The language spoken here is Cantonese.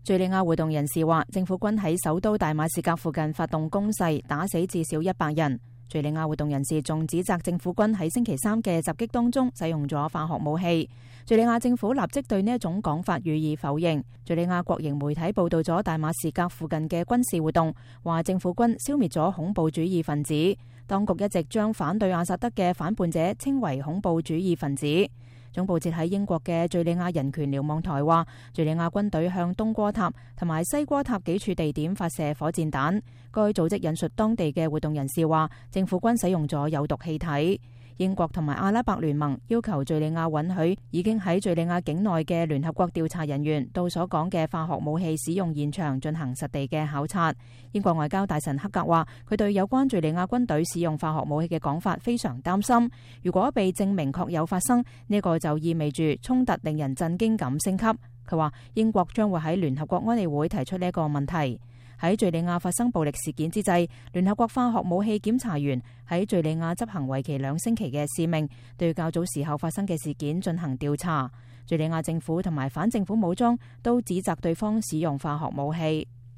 敘利亞活動人士話，政府軍喺首都大馬士革附近發動攻勢，打死至少100人。敘利亞活動人士仲指責政府軍喺星期三嘅襲擊當中使用咗化學武器。敘利亞政府立即對呢一種講法予以否認。敘利亞國營媒體報道咗大馬士革附近嘅軍事活動，話政府軍消滅咗恐怖主義分子。當局一直將反對阿薩德嘅反叛者稱為恐怖主義分子。總部設喺英國嘅敘利亞人權瞭望台話，敘利亞軍隊向東戈塔同埋西戈塔幾處地點發射火箭彈。該組織引述當地嘅活動人士話，政府軍使用咗有毒氣體。英國同埋阿拉伯聯盟要求敘利亞允許已經喺敘利亞境內嘅聯合國調查人員到所講嘅化學武器使用現場進行實地嘅考察。英國外交大臣克格話，佢對有關敘利亞軍隊使用化學武器嘅講法非常擔心。如果被證明確有發生，呢個就意味住衝突令人震驚咁升級。佢話英國將會喺聯合國安理會提出呢一個問題。喺敘利亞發生暴力事件之際，聯合國化學武器檢查員喺敘利亞執行為期2星期嘅使命，對較早時候發生嘅事件進行調查。敘利亞政府同埋反政府武裝都指責對方使用化學武器。